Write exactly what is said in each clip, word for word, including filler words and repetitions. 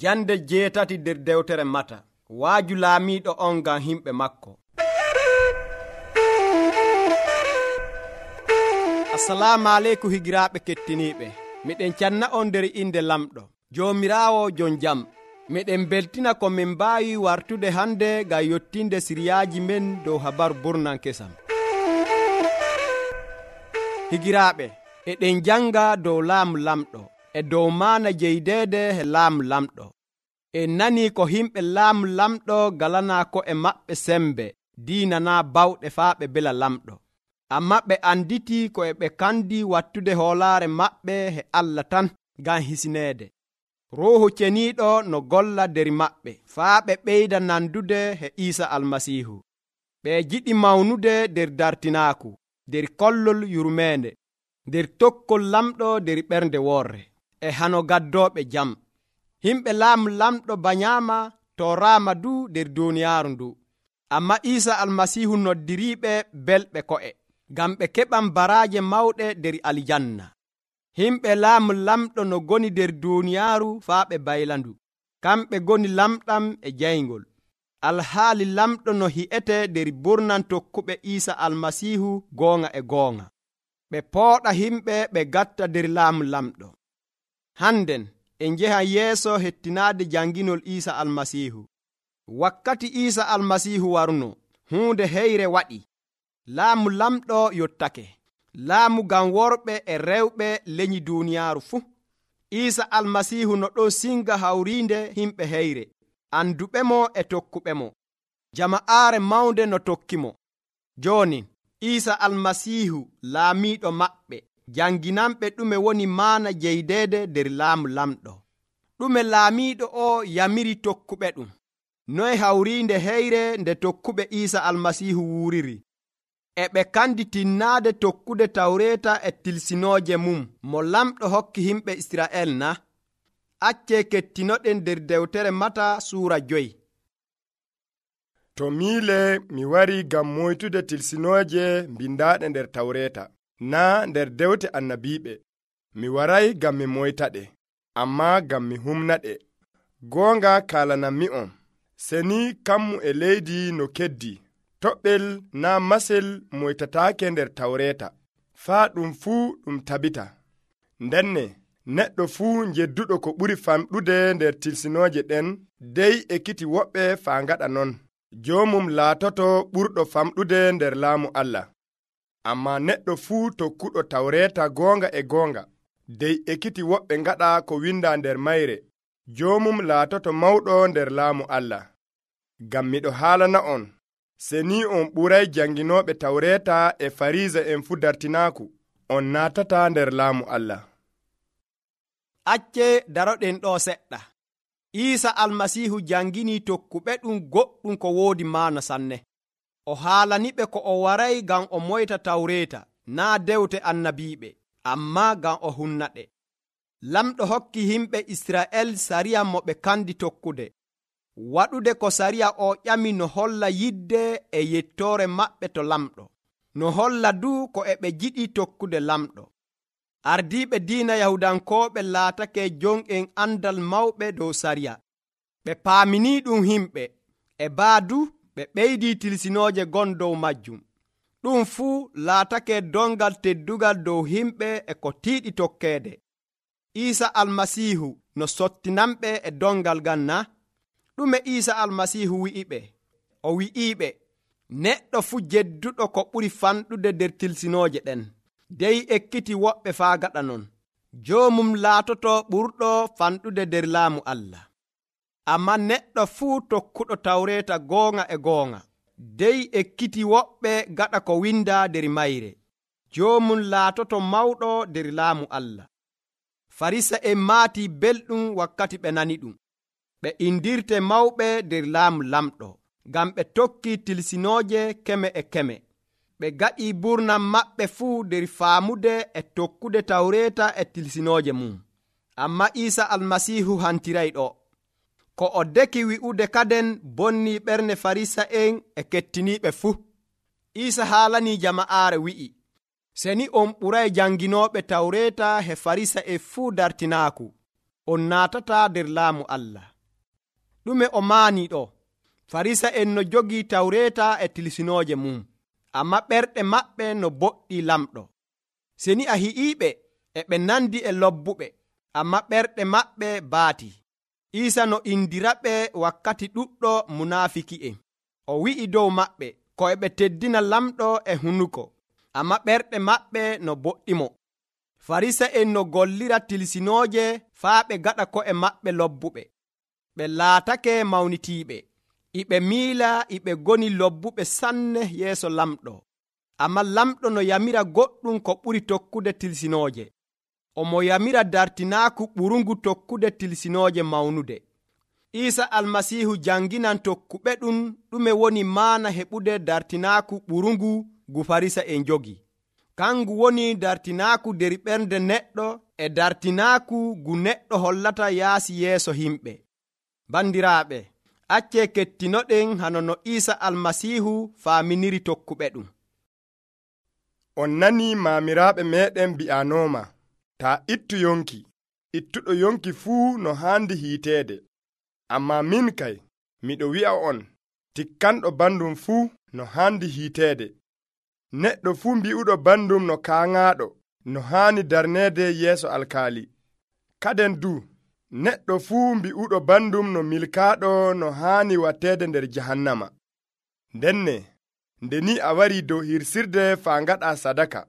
Jande jeetati nder dewtere Mata. Waaju laamiiɗo on ngam himɓe makko. Assalamu aleykum higiraaɓe kettiniiɓe. Miɗen canna on nder inde lamɗo Joomiraawo jon jam. Miɗen beltina ko min mbaawi wartude hande ngam yottinde siriyaaji men dow habaru burnan kesam. Higiraaɓe, eɗen janga dow laamu lamɗo e dow maana jeydeede e laamu lamɗo. En nani ko himɓe laamu lamɗo galanaa ko e maɓɓe sembe diinana bawɗe faa ɓe bela lamɗo. Amma ɓe anditi ko e ɓe kandi wattude hoolaare maɓɓe e Allah tan ngam hisineede. Ruuhu ceniiɗo no golla nder maɓɓe faa ɓe ɓeyda nandude e Iisa Almasiihu. Ɓe jiɗi mawnude nder dartinaaku, nder kollol yurmeende, nder tokkol lamɗo nder ɓernde worre e hano gaddooɓe jam. Himɓe laamu lamɗo banyaama tooraama du nder duuniyaaru ndu. Amma Iisa Almasiihu noddiriiɓe belɓe ko'e ngam ɓe keɓan baraaje mawɗe nder aljanna. Himɓe laamu lamɗo no goni nder duuniyaaru faa ɓe baylandu. Kamɓe goni lamɗam e jayngol. Alhaali lamɗo no hi'ete nder burnan tokkuɓe Iisa Almasiihu goonga e goonga. Ɓe pooɗa himɓe ɓe gatta nder laamu lamɗo. Hannden en njehan yeeso hettinaade janginol Iisa Almasiihu. Wakkati Iisa Almasiihu waruno, huunde heyre waɗi. Laamu lamɗo yottake. Laamu ngam worɓe e rewɓe leñi duuniyaaru fuu. Iisa Almasiihu no ɗon singa hawriinde himɓe heyre, anduɓemo e tokkuɓemo. Jama'aare mawnde no tokkimo. Jooni, Iisa Almasiihu laamiiɗo maɓɓe janginanɓe ɗume woni maana jeydeede nder laamu lamɗo. Ɗume laamiiɗo o yamiri tokkuɓe ɗum. Noye hawriinde heyre nde tokkuɓe Iisa Almasiihu wuuriri. E ɓe kandi tinnaade tokkude tawreeta e tilsinooje mum mo lamɗo hokki himɓe Isra'el na? Accee kettinoɗen nder dewtere Mata suura joyi. To miile mi wari ngam moytude tilsinooje mbindaaɗe nder tawreeta, naa nder dewte annabiiɓe. Mi waray ngam mi moytaɗe, ammaa ngam mi humnaɗe. Goonga kaalanammi'on, seni kammu e leydi no keddi. Toɓɓel naa masel moytataake nder tawreeta, faa ɗum fuu ɗum tabita. Ndenne neɗɗo fuu jedduɗo ko ɓuri famɗude nder tilsinooje ɗen dey ekkiti woɓɓe faa ngaɗa non. Joomum laatoto ɓurɗo famɗude nder laamu Allah. Ammaa neɗɗo fuu tokkuɗo tawreeta goonga e goonga dey ekkiti woɓɓe ngaɗa ko windaa nder mayre. Joomum laatoto mawɗo nder laamu Allah. Ngam miɗo haalana on, seni on ɓuray janginooɓe tawreeta e fariisa en fuu dartinaaku, on naatata nder laamu Allah. Acce daroɗen ɗo seɗɗa. Iisa Almasiihu jangini tokkuɓe ɗum goɗɗum ko woodi maana sanne. O haalaniɓe ko o waray ngam o moyta tawreeta, naa dewte annabiiɓe, ammaa ngam o hunnaɗe. Lamɗo hokki himɓe Isra'el sariya mo ɓe kandi tokkude. Waɗude ko sariya o ƴami no holla yidde e yettoore maɓɓe to lamɗo, no holla du ko e ɓe jiɗi tokkude lamɗo. Ardiiɓe diina Yahudankooɓe laatake jon'en andal mawɓe dow sariya. Ɓe paamini ɗum himɓe, e baadu ɓe ɓeydi tilsinooje gon dow majjum. Ɗum fuu laatake dongal teddugal dow himɓe e ko tiiɗi tokkeede. Iisa Almasiihu no sottinanɓe e dongal gan na? Ɗume Iisa Almasiihu wi'iɓe? O wi'iɓe, neɗɗo fuu jedduɗo ko ɓuri fanɗude nder tilsinooje ɗen dey ekkiti woɓɓe faa gaɗa non. Joomum laatoto ɓurɗo fanɗude nder laamu Allah. Amma neɗɗo fuu tokkuɗo tawreeta goonga e goonga dey ekkiti woɓɓe gaɗa ko windaa nder mayre. Joomum laatoto mawɗo nder laamu Allah. Farisa en maati belɗum wakkati ɓe nani ɗum. Ɓe indirte mawɓe nder laamu lamɗo, ngam ɓe tokki tilsinooje keme e keme. Ɓe gaɗi burnan maɓɓe fuu nder faamude e tokkude tawreeta e tilsinooje mum. Amma Iisa Almasiihu hantiray ɗo. Ko o deki wi'ude kaden bonni ɓernde Farisa en e kettiniiɓe fuu. Iisa haalanii jama'aare wi'i, seni on ɓuray janginooɓe tawreeta e Farisa en fuu dartinaaku, on naatata nder laamu Allah. ɗume o maani ɗo? Farisa en no jogii tawreeta e tilsinooje mum, amma ɓerɗe maɓɓe no boɗɗi lamɗo. Seni a hi'iiɓe e ɓe nandi e lobbuɓe, amma ɓerɗe maɓɓe baati. Iisa no indiraɓe wakkati ɗuɗɗo munaafiki'en. O wi'i dow maɓɓe ko e ɓe teddina lamɗo e hunuko, amma ɓerɗe maɓɓe no boɗɗimo. Farisa en no gollira tilsinooje faa ɓe gaɗa ko'e maɓɓe lobbuɓe. Ɓe laatake mawnitiiɓe, iɓe miila iɓe goni lobbuɓe sanne yeeso lamɗo. Amma lamɗo no yamira goɗɗum ko ɓuri tokkude tilsinooje. Omo yamira dartinaaku ɓurungu tokkude tilsinooje mawnude. Iisa almasiihu janginan tokkuɓe ɗum ɗume woni maana heɓude dartinaaku ɓurungu gu Farisa en jogi. Kangu woni dartinaaku der ɓernde neɗɗo e dartinaaku gu neɗɗo hollata yaasi yeeso himɓe. Bandiraaɓe, acce kettinoɗen hano no Iisa almasiihu faaminiri tokkuɓe ɗum. On nani maamiraaɓe meɗen bi'anooma, taa ittu yonki, ittuɗo yonki fuu no haandi hiiteede. Amma min kay, miɗo wi'a on, tikkanɗo bandum fuu no haandi hiiteede. Neɗɗo fuu mbi'uɗo bandum no kaaŋaaɗo, no haani darneede yeeso alkaali. Kaden du, neɗɗo fuu mbi'uɗo bandum no milkaaɗo no haani watteede nder jahannama. Ndenne, nde ni a wari dow hirsirde faa ngaɗa sadaka,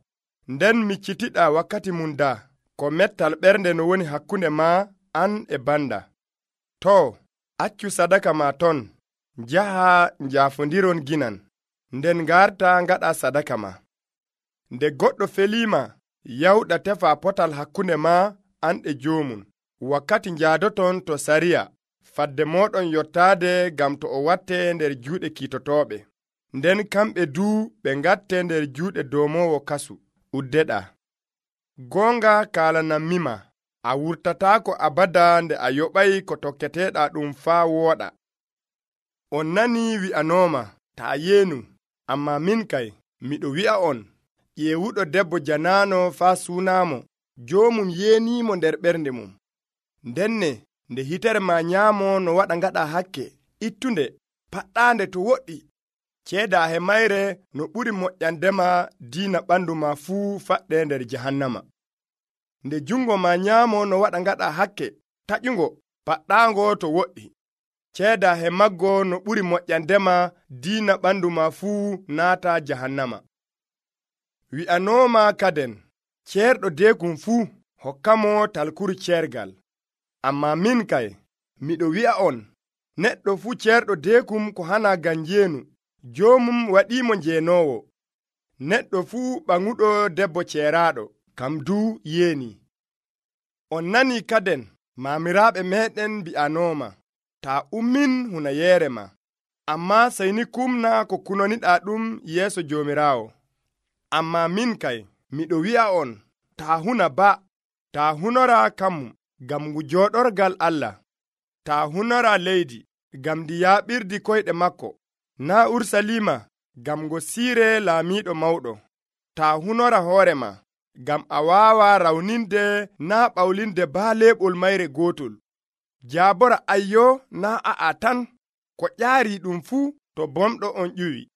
nden miccitiɗa wakkati mum daa, ko mettal ɓernde no woni hakkunde ma an e banda. To, accu sadaka ma ton, njaha njaafondiron ginan, nden ngarta ngaɗa sadaka ma. Nde goɗɗo feliima, yawɗa tefa potal hakkunde ma an e joomum, wakkati njaadoton to sariya, fadde moɗon yottaade gam to o watte nder juuɗe kiitotooɓe. Nden kamɓe duu ɓe ngatte nder juuɗe doomowo kasu. Uddeɗa. Goonga kaalanamima, a wurtataako abada nde a yoɓay ko tokketeeɗa ɗum faa wooɗa. On nani wi'anooma, taa yeenu, amma min kay, miɗo wi'a on, ƴeewuɗo debbo janaano faa suunaamo, joomum yeeniimo nder ɓernde mum. Ndenne, nde hitere ma nyaamo no waɗa ngaɗa hakke, ittunde, paɗɗaande to woɗɗi. Ceeda he mayre no ɓuri moƴƴandema diina ɓandu ma fuu faɗɗe nder jahannama. Nde jungo ma nyaamo no waɗa ngaɗa hakke, taƴugo, paɗɗaango to woɗɗi. Ceeda he maggo no ɓuri moƴƴandema diina ɓandu ma fuu naata jahannama. Wi'anooma kaden, ceerɗo deekum fuu hokkamo talkuru ceergal. Amma min kay, miɗo wi'a on, neɗɗo fuu ceerɗo deekum ko hana gam njeenu, joomum waɗiimo njeenoowo. Neɗɗo fuu ɓaŋuɗo debbo ceeraaɗo, kam duu yeeni. On nani kaden, maamiraaɓe meɗen mbi'anooma, taa ummin hunayeere ma, amma sayni kumna ko kunoniɗaa ɗum yeeso Joomiraawo. Amma min kay, miɗo wi'a on, taa huna ba, taa hunora kammum, gam ngu jooɗorgal Allah, taa hunora leydi, gam ndi yaaɓirdi koyɗe makko, naa Ursaliima, gam ngo siire laamiiɗo mawɗo. Taa hunora hoore ma, gam a waawa rawninde naa ɓawlinde baa leeɓol mayre gootol. Jaabora ayyo naa a'a tan, ko ƴaari ɗum fuu to bomɗo on ƴuwi.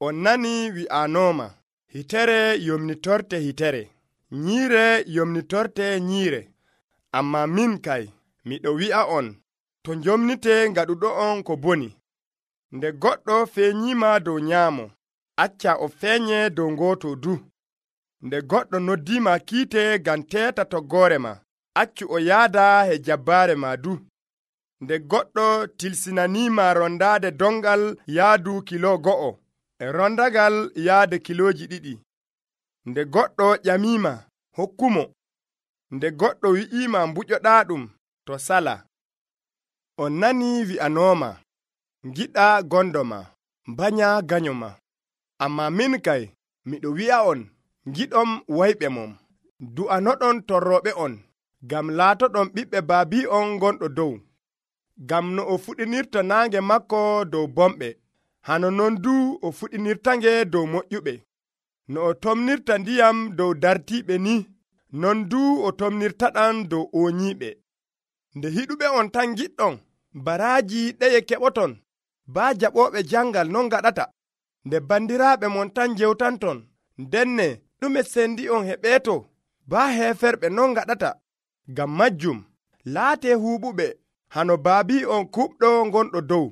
On nani wi'anooma, hitere yomnitorte hitere, nyiire yomnitorte nyiire. Amma min kay, miɗo wi'a on, to njomnite ngaɗuɗo on ko boni. Nde goɗɗo feeñiima dow nyaamo, acca o feeñe dow gooto du. Nde goɗɗo noddiima kiite ngam teeta toggoore ma, accu o yaada he jabbaare ma du. Nde goɗɗo tilsinaniima rondaade dongal yaadu kilo go'o, e rondagal yaade kilooji ɗiɗi. Nde goɗɗo ƴamiima, hokkumo. Nde goɗɗo wi'iima mbuƴoɗaa ɗum, to sala. On nani wi'anooma, ngiɗa gondo ma, mbanya ganyo ma. Amma min kay, miɗo wi'a on, ngiɗom wayɓe mom, du'anoɗon torroɓe on, gam laatoɗon ɓiɓɓe baabi on gonɗo dow. Gam no o fuɗinirta naange makko dow bomɓe, hano non du o fuɗinirtange dow moƴƴuɓe. No o tomnirta ndiyam dow dartiiɓe ni, non du o tomnirtaɗan dow ooñiiɓe. Nde hiɗuɓe on tan giɗɗon, baraaji ɗeye keɓoton baa jaɓooɓe jangal non gaɗata nde bandiraaɓe mon tan jewtanton ndenne ɗume sendi on heɓeeto baa heeferɓe non gaɗata ngam majjum laatee huuɓuɓe hano baabi on kuɓɗo gonɗo dow.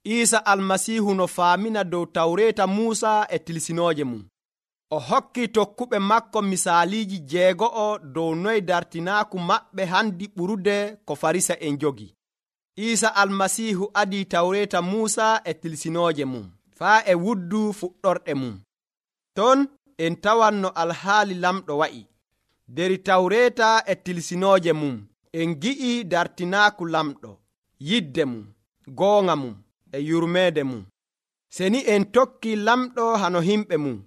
Iisa almasiihu no faamina dow tawreeta Muusa e tilsinooje mum. O hokki tokkuɓe makko misaaliiji jeego'o dow noy dartinaaku maɓɓe handi ɓurude ko Farisa'en jogi. Iisa almasiihu adii tawreeta Muusa e tilsinooje mum faa e wuddu fuɗɗorɗe mum. Ton en tawan no alhaali lamɗo wa'i. Der tawreeta e tilsinooje mum en gi'i dartinaaku lamɗo, yidde mum, goonga mum e yurmeede mum. Seni en tokki lamɗo hano himɓe mum,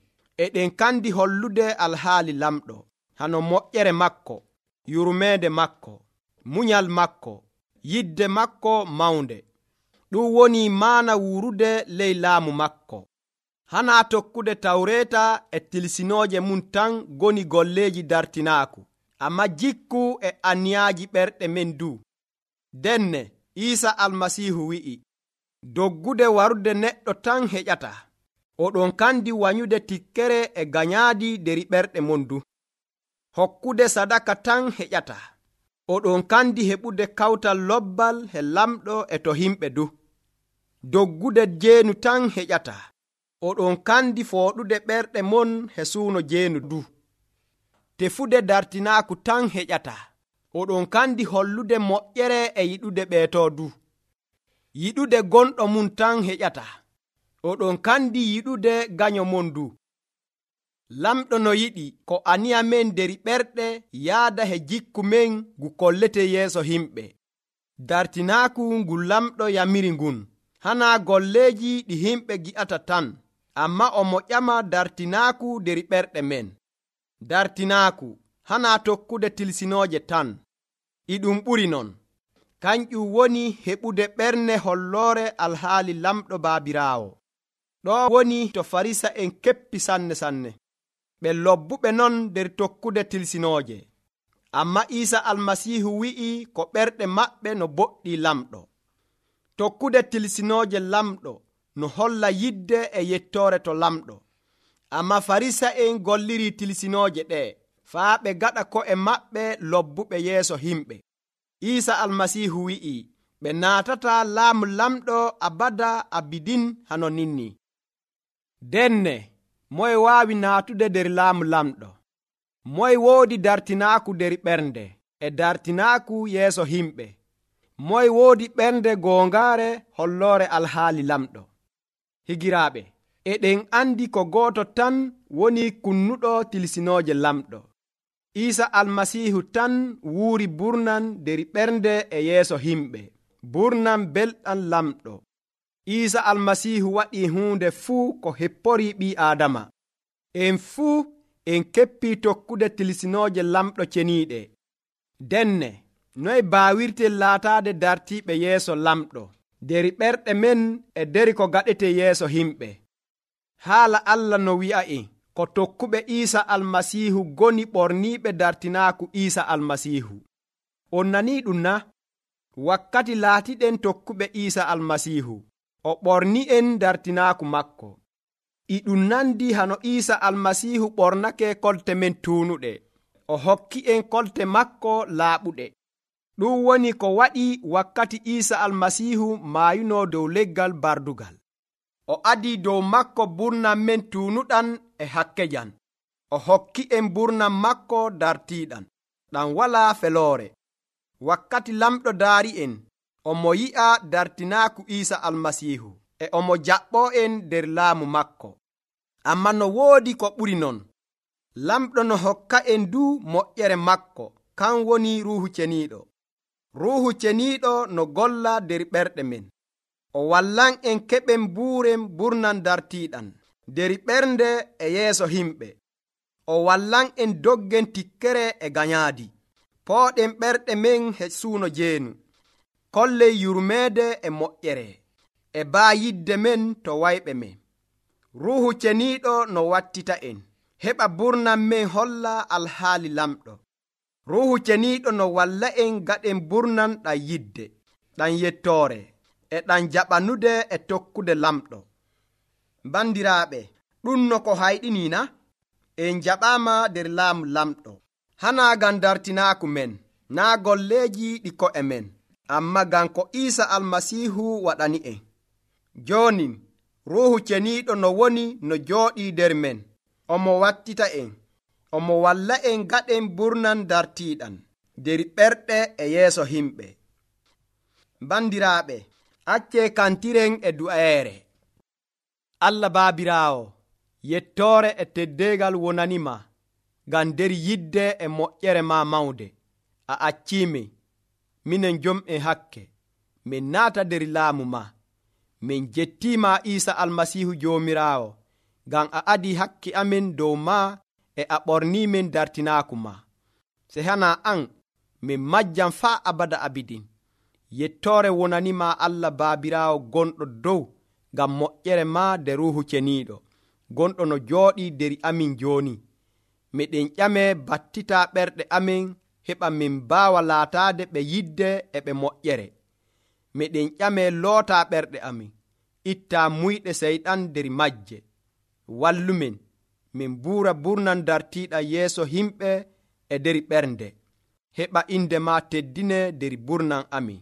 eɗen kandi hollude alhaali lamɗo hano moƴƴere makko, yurmeede makko, munyal makko, yidde makko mawnde. Ɗum woni maana wuurude ley laamu makko. Hana tokkude tawreeta e tilsinooje mum tan goni golleeji dartinaaku, amma jikku e aniyaaji ɓerɗe men du. Denne Iisa almasiihu wi'i, doggude warude neɗɗo tan heƴata. Oɗon kandi wanyude tikkere e ganyaadi deri ɓerɗe mon du. Hokkude sadaka tan heƴata. Oɗon kandi heɓude kawtal lobbal he lamɗo e to himɓe du. Doggude jeenu tan heƴata. Oɗon kandi fooɗude ɓerɗe mon he suuno jeenu du. Tefude dartinaaku tan heƴata. Oɗon kandi hollude moƴƴere e yiɗude ɓeeto du. Yiɗude gonɗo mum tan heƴata. Oɗon kandi yiɗude ganyo mon du. Lamɗo no yiɗi ko aniya men deri ɓerɗe yaada he jikku men ngu kollete yeeso himɓe. Dartinaaku ngu lamɗo yamiri ngun hana golleeji ɗi himɓe gi'ata tan, amma omo ƴama dartinaaku deri ɓerɗe men. Dartinaaku hana tokkude tilsinooje tan, iɗum ɓuri non. Kanƴum woni heɓude ɓerne holloore alhaali lamɗo baabiraawo. Ɗo woni to Farisa'en keppi sanne sanne. Ɓe lobbuɓe non nder tokkude tilsinooje. Amma Iisa almasiihu wi'i ko ɓerɗe maɓɓe no boɗɗi lamɗo. Tokkude tilsinooje lamɗo no holla yidde e yettoore to lamɗo. Amma Farisa'en golliri tilsinooje ɗe faa ɓe gaɗa ko'e maɓɓe lobbuɓe yeeso himɓe. Iisa almasiihu wi'i ɓe naatata laamu lamɗo abada abidin hano ninni. Denne moye waawi naatude nder laamu lamɗo? Moye woodi dartinaaku nder ɓernde e dartinaaku yeeso himɓe? Moye woodi ɓernde goongaare holloore alhaali lamɗo? Higiraaɓe, eɗen andi ko gooto tan woni kunnuɗo tilsinooje lamɗo. Iisa almasiihu tan wuuri burnan nder ɓernde e yeeso himɓe, burnan belɗam lamɗo. Iisa almasiihu waɗi huunde fuu ko heppori ɓii aadama. En fuu en keppi tokkude tilsinooje lamɗo ceniiɗe. Denne noye baawirten laataade dartiiɓe yeeso lamɗo nder ɓerɗe men e nder ko gaɗete yeeso himɓe? Haala Allah no wi'a'en ko tokkuɓe Iisa almasiihu goni ɓorniiɓe dartinaaku Iisa almasiihu. On nanii ɗum na? Wakkati laatiɗen tokkuɓe Iisa almasiihu, o ɓorni'en dartinaaku makko. E ɗum nandi hano Iisa almasiihu ɓornake kolte men tuunuɗe, o hokki'en kolte makko laaɓuɗe. Ɗum woni ko waɗi wakkati Iisa almasiihu maayuno dow leggal bardugal. O adii dow makko burnam men tuunuɗan e hakkejan. O hokki'en burnam makko dartiiɗan, ɗam walaa feloore. Wakkati lamɗo daari'en, omo yi'a dartinaaku Iisa almasiihu, e omo jaɓɓo'en nder laamu makko. Amma no woodi ko ɓuri non. Lamɗo no hokka'en du moƴƴere makko, kan woni Ruuhu Ceniiɗo. Ruuhu Ceniiɗo no golla nder ɓerɗe men. O wallan en keɓen buuren burnan dartiiɗan nder ɓernde e yeeso himɓe. O wallan en doggen tikkere e ganyaadi. Pooɗen ɓerɗe men he suuno jeenu. Kollen yurmeede e moƴƴere e baa yidde men to wayɓe men. Ruuhu Ceniiɗo no wattita en, heɓa burnan men holla alhaali lamɗo. ruuhu ceniiɗo no walla en gaɗen burnan ɗam yidde, ɗam yettoore, e ɗam jaɓanude e tokkude lamɗo. Bandiraaɓe, ɗum no ko hayɗiniina en jaɓaama nder laamu lamɗo, hanaa ngam dartinaaku men, naa golleeji ɗi ko'e men, amma ngam ko Iisa Almasiihu waɗani en. Jooni ruuhu ceniiɗo no woni no jooɗii nder men, omo wattita en, omo walla en gaɗen burnan dartiiɗan nder ɓerɗe e yeeso himɓe. Bandiraaɓe, accee kantiren e du'eere. Allah Baabiraawo, yettoore e teddeegal wonanima ngam nder yidde e moƴƴere ma mawnde. A acciimi, minen jom'en hakke, min naata nder laamu ma. Min jettiima Iisa Almasiihu Joomiraawo, ngam a adii hakki amin dow ma e a ɓorniimin dartinaaku ma. Se hana an, min majjam faa abada abidin. Yettoore wonanima Allah Baabiraawo gonɗo dow, ngam moƴƴere ma de ruuhu ceniiɗo, gonɗo no jooɗii nder amin jooni. Miɗen ƴame battita ɓerɗe amin, heɓa min mbaawa laataade ɓe yidde e ɓe moƴƴere. Miɗen ƴame loota ɓerɗe amin, itta muyɗe seyɗan nder majje. Wallumin, min buura burnan dartiiɗa yeeso himɓe e nder ɓernde. Heɓa inde ma teddine nder burnan amin.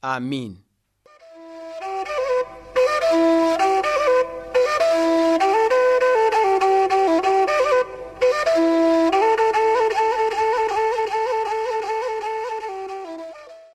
Amiin.